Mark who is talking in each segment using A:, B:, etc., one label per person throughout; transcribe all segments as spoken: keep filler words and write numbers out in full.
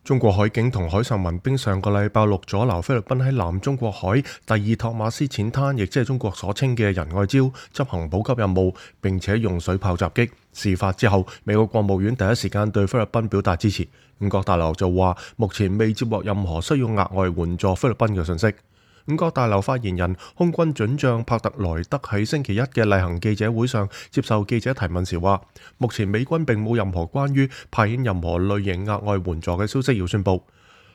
A: 中國海警同海上民兵上個禮拜六阻撓菲律賓喺南中國海第二托馬斯淺灘，亦即係中國所稱嘅仁愛礁執行補給任務，並且用水炮襲擊。事發之後，美國國務院第一時間對菲律賓表達支持。五角大樓就話，目前未接獲任何需要額外援助菲律賓嘅信息。五角大樓發言人空軍准將帕特萊德喺星期一嘅例行記者會上接受記者提問時話，目前美軍並冇任何關於派遣任何類型額外援助嘅消息要宣佈。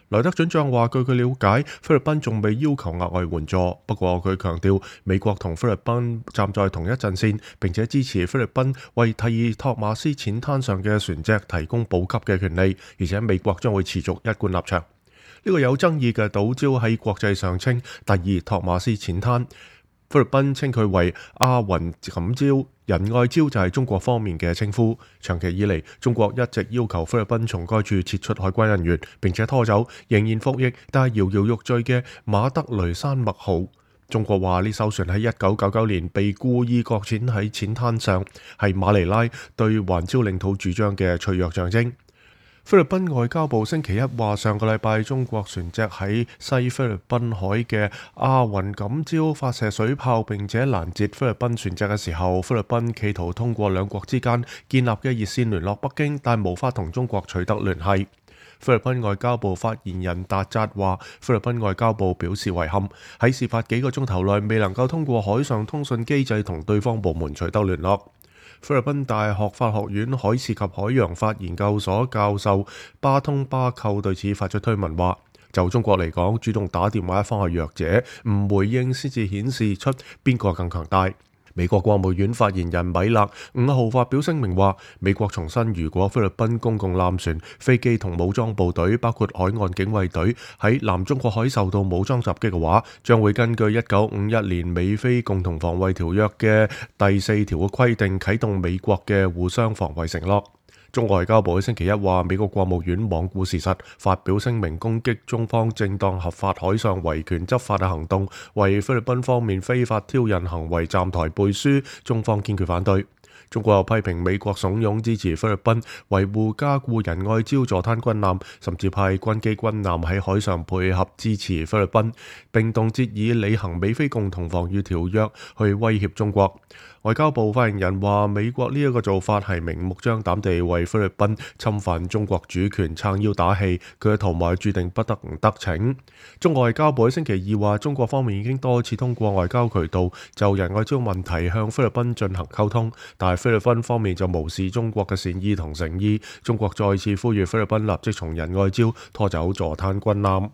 A: 萊德准將話，據佢了解，菲律賓仲未要求額外援助，不過佢強調美國同菲律賓站在同一陣線，並且支持菲律賓為第二托馬斯淺灘上嘅船隻提供補給嘅權利，而且美國將會持續一貫立場。呢個有爭議嘅島礁喺國際上稱第二托馬斯淺灘，菲律賓稱佢為阿雲錦礁，仁愛礁就係中國方面嘅稱呼。長期以嚟，中國一直要求菲律賓從該處撤出海軍人員，並且拖走仍然服役但係搖搖欲墜嘅馬德雷山脈號。中國話呢艘船喺一九九九年被故意擱淺喺淺灘上，係馬尼拉對環礁領土主張嘅脆弱象徵。菲律賓外交部星期一話，上個禮拜中國船隻喺西菲律賓海嘅阿雲錦礁發射水炮，並且攔截菲律賓船隻嘅時候，菲律賓企圖通過兩國之間建立嘅熱線聯絡北京，但無法同中國取得聯繫。菲律賓外交部發言人達扎話，菲律賓外交部表示遺憾，喺事發幾個鐘頭內未能夠通過海上通訊機制同對方部門取得聯絡。菲律賓大學法學院海事及海洋法研究所教授巴通巴寇對此發出推文話，就中國嚟講，主動打電話一方係弱者，唔回應先至顯示出邊個更強大。美國國務院發言人米勒五號發表聲明話，美國重申，如果菲律賓公共艦船、飛機同武裝部隊，包括海岸警衛隊喺南中國海受到武裝襲擊嘅話，將會根據一九五一年美菲共同防衛條約嘅第四條嘅規定，啟動美國嘅互相防衛承諾。中外交部喺星期一話，美國國務院罔顧事實，發表聲明攻擊中方正當合法海上維權執法嘅行動，為菲律賓方面非法挑釁行為站台背書，中方堅決反對。中國又批評美國慫恿支持菲律賓維護加固仁愛礁坐灘軍艦，甚至派軍機軍艦喺海上配合支持菲律賓，並動輒以履行美菲共同防禦條約去威脅中國。外交部發言人話，美國呢一個做法係明目張膽地為菲律賓侵犯中國主權撐腰打氣，佢嘅圖謀注定不得唔得逞。中國外交部喺星期二話，中國方面已經多次通過外交渠道就仁愛礁問題向菲律賓進行溝通，但係菲律賓方面就無視中國嘅善意同誠意。中國再次呼籲菲律賓立即從仁愛礁拖走坐灘軍艦。